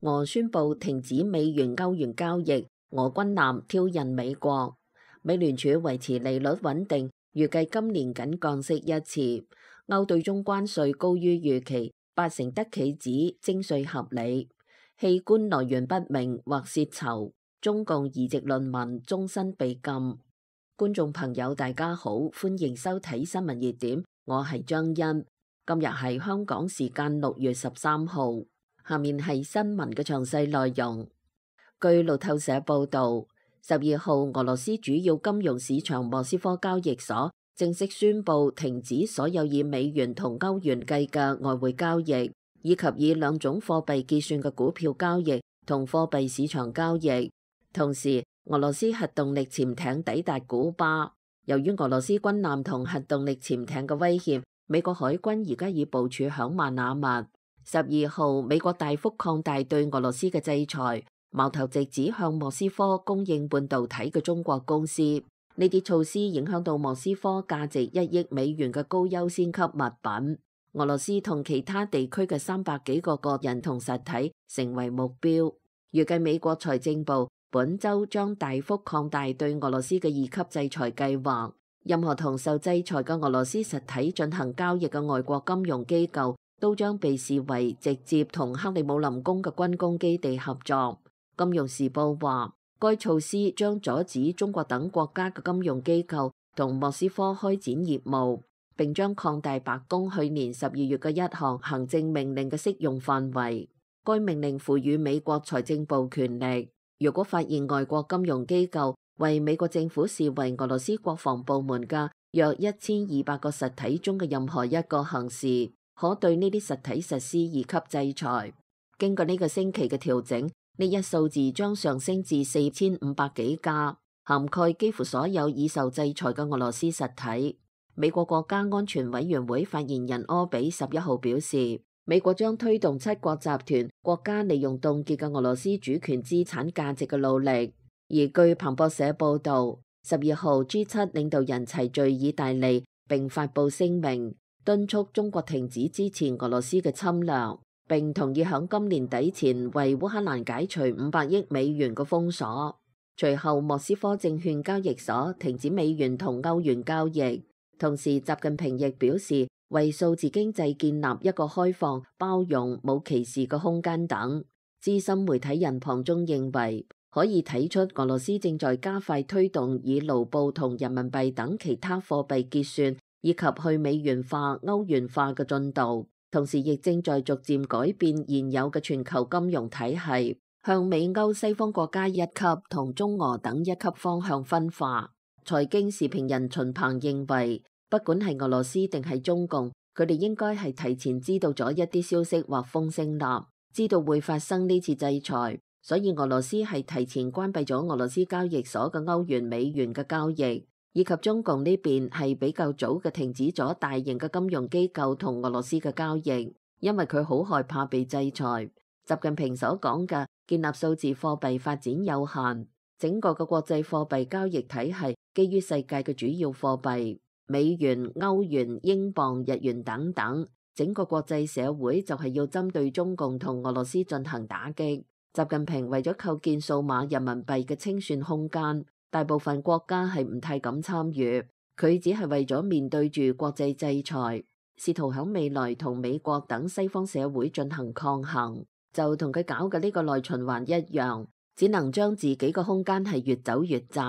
俄宣布停止美元歐元交易，俄軍艦挑釁美國。美聯儲維持利率穩定，預計今年僅降息一次。歐對中關稅高於預期，80%德企指徵稅合理。器官來源不明或洩囚，中共移植論文終身被禁。觀眾朋友大家好，歡迎收睇新聞熱點，我係張欣。今日係香港時間6月13號。下面係新聞嘅詳細內容。據路透社報導，12號俄羅斯主要金融市場莫斯科交易所正式宣布停止所有以美元同歐元計嘅外匯交易，以及以兩種貨幣結算嘅股票交易同貨幣市場交易。同時，俄羅斯核動力潛艇抵達古巴。由於俄羅斯軍艦同核動力潛艇嘅威脅，美國海軍而家已部署響馬那密。12號，美國大幅擴大對俄羅斯嘅制裁，矛頭直指向莫斯科供應半導體嘅中國公司。呢啲措施影響到莫斯科價值1億美元嘅高優先級物品。俄羅斯同其他地區嘅300幾個個人同實體成為目標。預計美國財政部本週將大幅擴大對俄羅斯嘅2級制裁計劃。任何同受制裁嘅俄羅斯實體進行交易嘅外國金融機構都將被視為直接同克里姆林宮嘅軍工基地合作。金融時報話，該措施將阻止中國等國家嘅金融機構同莫斯科開展業務，並將擴大白宮去年12月嘅一項行政命令嘅適用範圍。該命令賦予美國財政部權力，如果發現外國金融機構為美國政府視為俄羅斯國防部門嘅約1200個實體中嘅任何一個行事，可對呢啲實體實施2級制裁。經過呢個星期嘅調整，呢一數字將上升至4500幾家，涵蓋幾乎所有已受制裁嘅俄羅斯實體。美國國家安全委員會發言人柯比11號表示，美國將推動7國集團國家利用凍結嘅俄羅斯主權資產價值嘅努力。而據彭博社報導，12號 G7 領導人齊聚意大利並發布聲明，敦促中國停止支持俄羅斯嘅侵略，並同意響今年底前為烏克蘭解除500億美元嘅封鎖。隨後，莫斯科證券交易所停止美元同歐元交易。同時，習近平亦表示為數字經濟建立一個開放、包容、冇歧視嘅空間等。資深媒體人龐中認為，可以睇出俄羅斯正在加快推動以盧布同人民幣等其他貨幣結算，以及去美元化、歐元化嘅進度，同時亦正在逐漸改變現有嘅全球金融體系，向美歐西方國家1級同中俄等1級方向分化。財經時評人秦鵬認為，不管係俄羅斯定係中共，佢哋應該係提前知道咗一啲消息或風聲啦，知道會發生呢次制裁，所以俄羅斯係提前關閉咗俄羅斯交易所嘅歐元美元嘅交易。以及中共呢邊係比較早嘅停止咗大型嘅金融機構同俄羅斯嘅交易，因為佢好害怕被制裁。習近平所講嘅建立數字貨幣發展有限，整個嘅國際貨幣交易體系基於世界嘅主要貨幣美元、歐元、英鎊、日元等等，整個國際社會就係要針對中共同俄羅斯進行打擊。習近平為咗構建數碼人民幣嘅清算空間，大部分國家係唔太敢參與，佢只係為咗面對住國際制裁，試圖喺未來同美國等西方社會進行抗衡，就同佢搞嘅呢個內循環一樣，只能將自己嘅空間係越走越窄，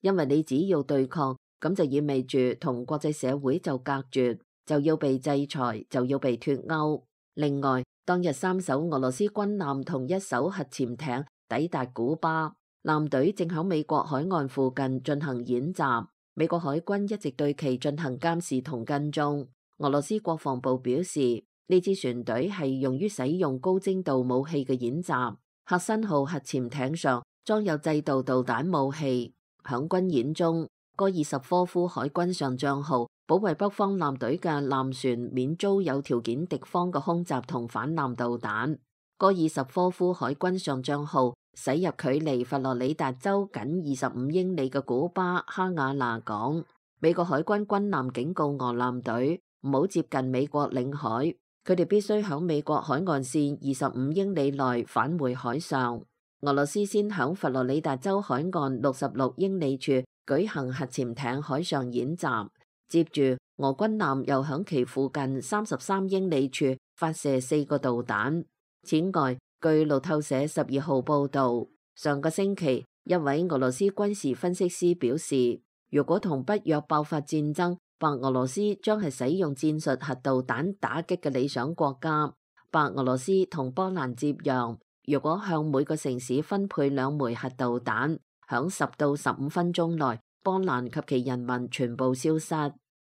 因為你只要對抗，咁就意味住同國際社會就隔絕，就要被制裁，就要被脫鈎。另外，當日3艘俄羅斯軍艦同1艘核潛艇抵達古巴。艦隊正喺美國海岸附近進行演習，美國海軍一直對其進行監視同跟蹤。俄羅斯國防部表示，呢支船隊係用於使用高精度武器嘅演習。赫辛號核潛艇上裝有制導導彈武器。響軍演中，戈爾什科夫海軍上將號保衛北方艦隊嘅艦船免遭有條件敵方嘅空襲同反艦導彈。戈爾什科夫海軍上將號駛入距離佛羅里達州僅25英里嘅古巴哈瓦那港，美國海軍軍艦警告俄艦隊唔好接近美國領海，佢哋必須響美國海岸線25英里內返回海上。俄羅斯先響佛羅里達州海岸66英里處舉行核潛艇海上演習，接住俄軍艦又響其附近33英里處發射4個導彈。此外，據路透社12號報導，上個星期一位俄羅斯軍事分析師表示，如果同北約爆發戰爭，白俄羅斯將係使用戰術核導彈打擊嘅理想國家。白俄羅斯同波蘭接壤，如果向每個城市分配2枚核導彈，響10到15分鐘內，波蘭及其人民全部消失。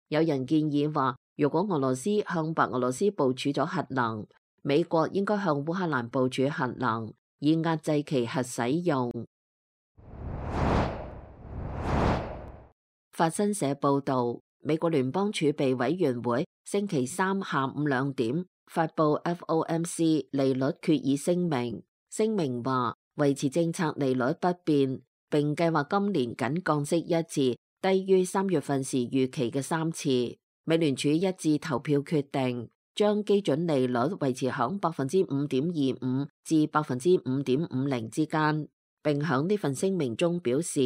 有人建議話，如果俄羅斯向白俄羅斯部署咗核能，美國應該向烏克蘭部署核能，以壓制其核使用。法新社報導，美國聯邦儲備委員會星期三下午2點發布 FOMC 利率決議聲明，聲明話維持政策利率不變，並計劃今年僅降息1次，低於3月份時預期嘅3次。美聯儲一致投票決定將基準利率維持響 5.25% 至 5.50% 之間，並響呢份聲明中表示，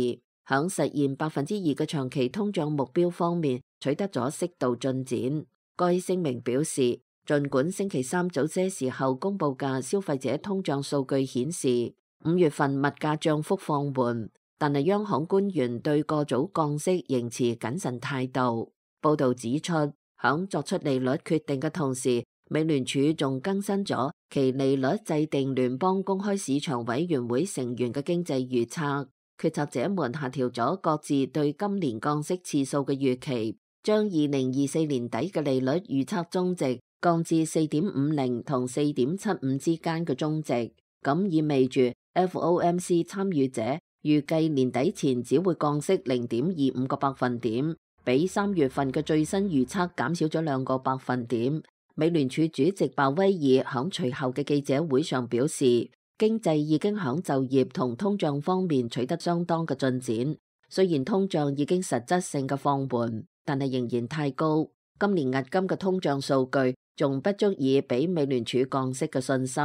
響實現 2% 嘅長期通脹目標方面取得咗適度進展。該聲明表示，儘管星期三早些時候公佈嘅消費者通脹數據顯示5月份物價漲幅放緩，但係央行官員對過早降息仍持謹慎態度。報導指出，響作出利率決定嘅同時，美聯儲仲更新咗其利率制定聯邦公開市場委員會成員嘅經濟預測。決策者們下調咗各自對今年降息次數嘅預期，將2024年底嘅利率預測中值降至 4.50 同 4.75 之間嘅中值。咁意味住 FOMC 參與者預計年底前只會降息 0.25 個百分點，比3月份嘅最新預測減少咗2個百分點。美聯儲主席鮑威爾響隨後嘅記者會上表示，經濟已經響就業同通脹方面取得相當嘅進展，雖然通脹已經實質性嘅放緩，但係仍然太高。今年押金嘅通脹數據仲不足以俾美聯儲降息嘅信心。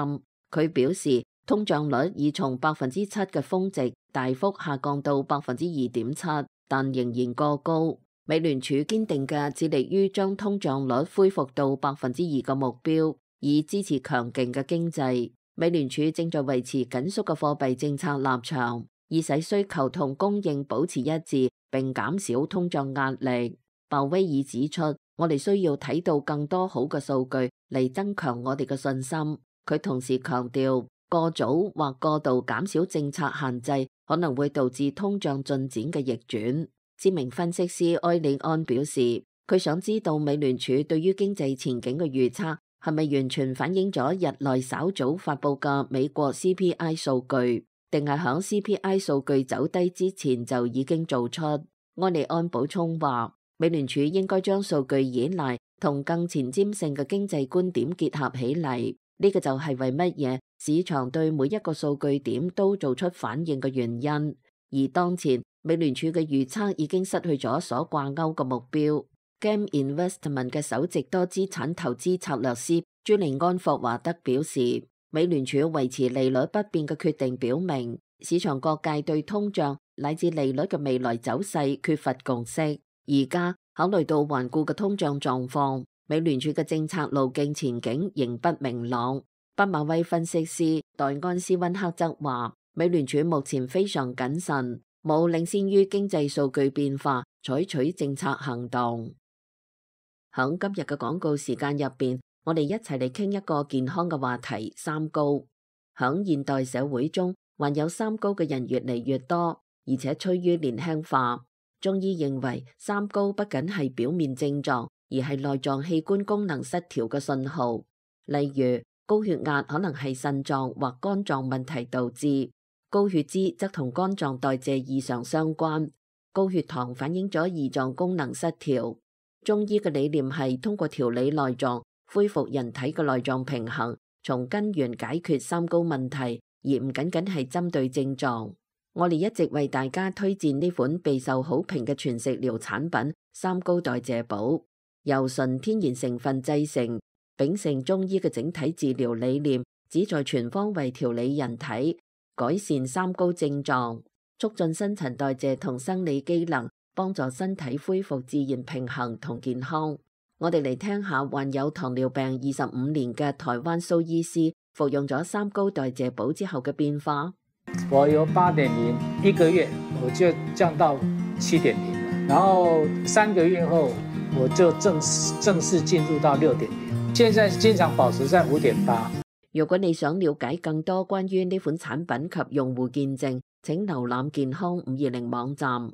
佢表示，通脹率已從7%嘅峰值大幅下降到 2.7%， 但仍然過高。美聯儲堅定嘅致力於將通脹率恢復到 2% 嘅目標，以支持強勁嘅經濟。美聯儲正在維持緊縮嘅貨幣政策立場，以使需求同供應保持一致，並減少通脹壓力。鮑威爾指出，我哋需要睇到更多好嘅數據嚟增強我哋嘅信心。佢同時強調，過早或過度減少政策限制可能會導致通脹進展嘅逆轉。知名分析師埃里安表示，佢想知道美聯儲對於經濟前景嘅預測係咪完全反映咗日內稍早發佈嘅美國 CPI 數據，定係響 CPI 數據走低之前就已經做出。埃里安補充話，美聯儲應該將數據依賴同更前瞻性嘅經濟觀點結合起嚟，呢個就係為乜嘢市場對每一個數據點都做出反應嘅原因。而當前美聯儲嘅預測已經失去咗所掛鈎嘅目標。GAM Investment 嘅首席多資產投資策略師朱利安霍華德表示，美聯儲維持利率不變嘅決定表明，市場各界對通脹乃至利率嘅未來走勢缺乏共識。而家考慮到頑固嘅通脹狀況，美聯儲嘅政策路徑前景仍不明朗。畢馬威分析師代安斯溫克則話，美聯儲目前非常謹慎，冇領先於經濟數據變化採取政策行動。喺今日嘅廣告時間入邊，我哋一齊嚟傾一個健康嘅話題：三高。喺現代社會中，患有三高嘅人越嚟越多，而且趨於年輕化。中醫認為，三高不僅係表面症狀，而係內臟器官功能失調嘅信號。例如，高血壓可能係腎臟或肝臟問題導致，高血脂則同肝臟代謝異常相關，高血糖反映咗胰臟功能失調。中醫嘅理念係通過調理內臟，恢復人體嘅內臟平衡，從根源解決三高問題，而唔僅僅係針對症狀。我哋一直為大家推薦呢款備受好評嘅全食療產品三高代謝寶，由純天然成分製成，秉承中醫嘅整體治療理念，旨在全方位調理人體，改善三高症狀，促進新陳代謝同生理機能，幫助身體恢復自然平衡同健康。我哋嚟聽下患有糖尿病25年嘅台灣蘇醫師服用咗三高代謝寶之後嘅變化。我由8.0一個月我就降到7.0了，然後3個月後我就正式進入到6.0，現在經常保持在5.8。如果你想了解更多關於呢款產品及用戶見證，請瀏覽健康520網站。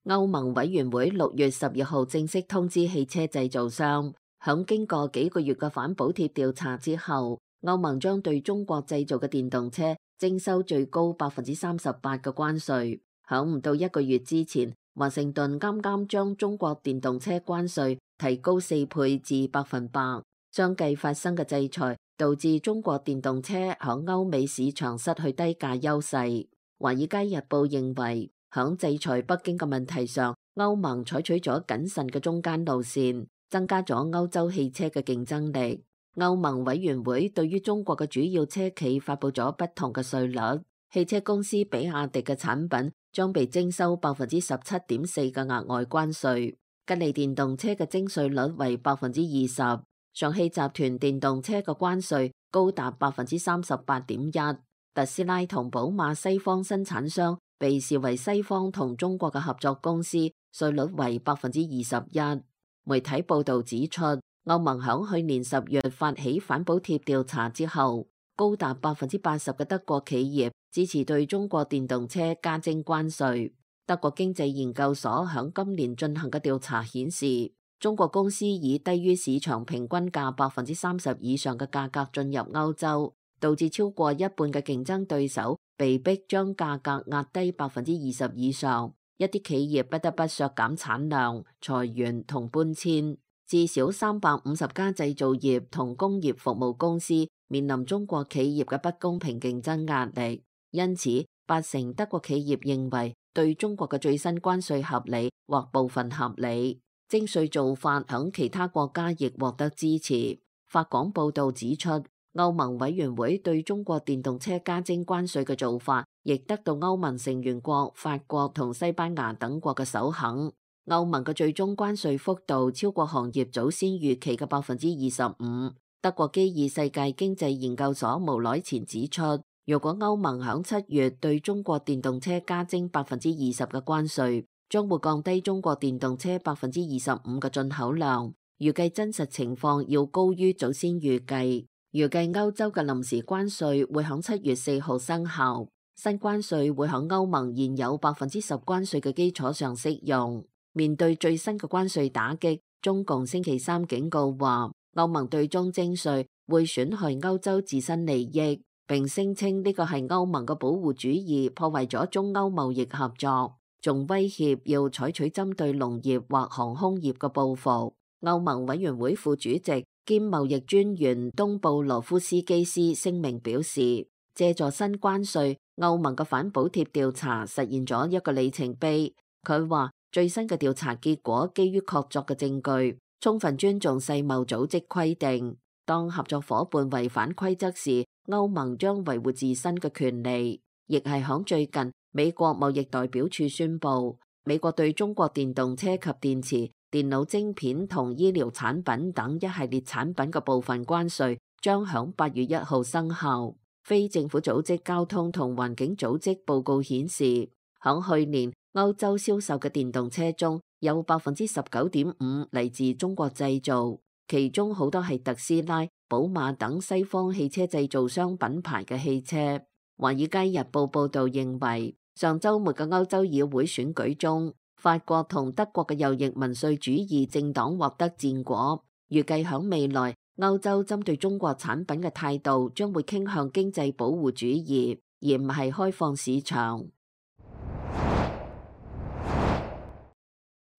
歐盟委員會6月12號正式通知汽車製造商，響經過幾個月嘅反補貼調查之後，歐盟將對中國製造嘅電動車徵收最高38%嘅關稅。響唔到1個月之前，華盛頓啱啱將中國電動車關稅提高4倍至100%。相繼發生嘅制裁導致中國電動車響歐美市場失去低價優勢。華爾街日報認為，響制裁北京嘅問題上，歐盟採取咗謹慎嘅中間路線，增加咗歐洲汽車嘅競爭力。歐盟委員會對於中國嘅主要車企發佈咗不同嘅稅率，汽車公司比亞迪嘅產品將被徵收17.4%嘅額外關稅，吉利電動車嘅徵稅率為20%，上汽集團電動車嘅關稅高達38.1%，特斯拉同寶馬西方生產商被視為西方同中國嘅合作公司，稅率為21%。媒體報道指出，歐盟響去年10月發起反補貼調查之後，高達80%嘅德國企業支持對中國電動車加徵關稅。德國經濟研究所響今年進行嘅調查顯示，中國公司以低於市場平均價30%以上嘅價格進入歐洲，導致超過一半嘅競爭對手被迫將價格壓低20%以上。一啲企業不得不削減產量、裁員同搬遷。至少350家製造業同工業服務公司面臨中國企業嘅不公平競爭壓力，因此80%德國企業認為對中國嘅最新關稅合理或部分合理。徵稅做法響其他國家亦獲得支持。法廣報道指出，歐盟委員會對中國電動車加徵關稅嘅做法，亦得到歐盟成員國法國同西班牙等國嘅首肯。歐盟嘅最終關稅幅度超過行業早先預期嘅25%。德國基爾世界經濟研究所無耐前指出，如果歐盟響7月對中國電動車加徵20%嘅關稅，將會降低中國電動車25%嘅進口量。預計真實情況要高於早先預計。預計歐洲嘅臨時關稅會響7月4號生效，新關稅會響歐盟現有10%關稅嘅基礎上適用。面對最新嘅關稅打擊，中共星期三警告話，歐盟對中徵稅會損害歐洲自身利益，並聲稱呢個係歐盟嘅保護主義破壞咗中歐貿易合作，仲威脅要採取針對農業或航空業嘅報復。歐盟委員會副主席兼貿易專員東布羅夫斯基斯聲明表示，借助新關稅，歐盟嘅反補貼調查實現咗一個里程碑。佢話，最新嘅調查結果基於確鑿嘅證據，充分尊重世貿組織規定。當合作夥伴違反規則時，歐盟將維護自身嘅權利。亦係響最近，美國貿易代表處宣布，美國對中國電動車及電池、電腦晶片同醫療產品等一系列產品嘅部分關稅將響8月1號生效。非政府組織交通同環境組織報告顯示，響去年歐洲銷售嘅電動車中有19.5%嚟自中國製造，其中好多係特斯拉、寶馬等西方汽車製造商品牌嘅汽車。華爾街日報報道認為，上週末嘅歐洲議會選舉中，法國同德國嘅右翼民粹主義政黨獲得戰果。預計響未來，歐洲針對中國產品嘅態度將會傾向經濟保護主義，而唔係開放市場。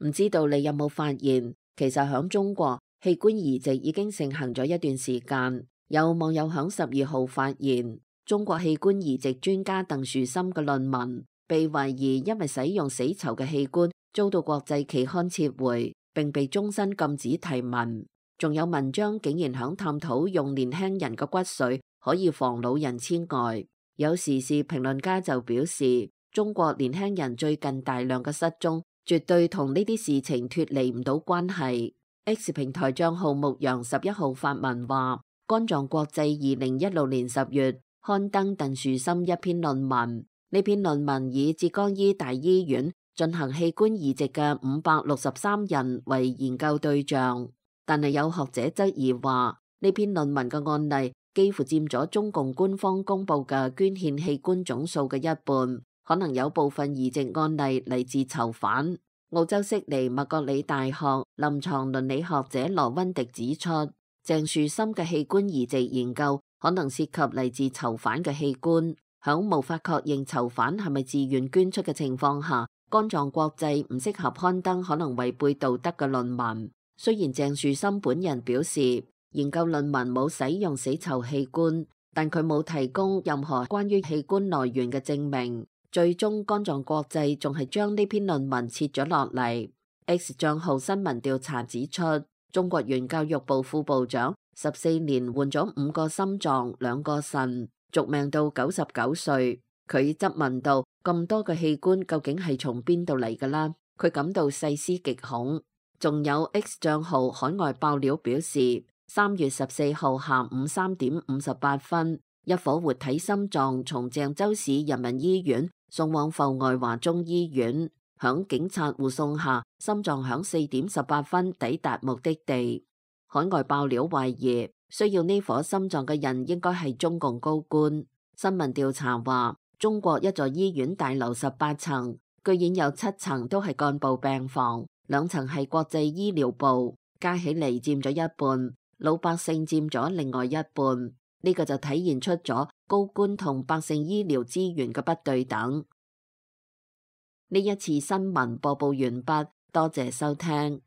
唔知道你有冇發現，其實響中國器官移植已經盛行咗一段時間。有網友響12號發現，中國器官移植專家鄧樹森嘅論文被懷疑因為使用死囚嘅器官遭到國際期刊撤回，並被終身禁止提文。仲有文章竟然響探討用年輕人嘅骨髓可以防老人痴呆。有時事評論家就表示，中國年輕人最近大量嘅失蹤，絕對同呢啲事情脫離唔到關係。X 平台賬號牧羊11號發文話，肝臟國際2016年10月刊登鄧樹森一篇論文，呢篇論文以浙江醫大醫院進行器官移植嘅563人為研究對象，但係有學者質疑話，呢篇論文嘅案例幾乎佔咗中共官方公布嘅捐獻器官總數嘅一半，可能有部分移植案例嚟自囚犯。澳洲悉尼麥覺里大學臨床倫理學者羅溫迪指出，鄭樹森嘅器官移植研究可能涉及嚟自囚犯嘅器官，響無法確認囚犯係咪自願捐出嘅情況下，肝臟國際唔適合刊登可能違背道德嘅論文。雖然鄭樹森本人表示研究論文冇使用死囚器官，但佢冇提供任何關於器官來源嘅證明。最終肝臟國際仲係將呢篇論文撤咗落嚟。X 賬號新聞調查指出，中國原教育部副部長14年換咗5個心臟、2個腎，續命到99歲。佢質問到，咁多嘅器官究竟係從邊度嚟㗎啦？佢感到細思極恐。仲有 X 賬號海外爆料表示，3月14號下午3點58分，一顆活體心臟從鄭州市人民醫院送往阜外華中醫院，響警察護送下，心臟響4點18分抵達目的地。海外爆料懷疑，需要呢顆心臟嘅人應該係中共高官。新聞調查話，中國一座醫院大樓18層，居然有7層都係幹部病房，2層係國際醫療部，加起嚟佔咗一半，老百姓佔咗另外一半。呢個就體現出咗高官同百姓醫療資源嘅不對等。呢一次新聞播報完畢，多謝收聽。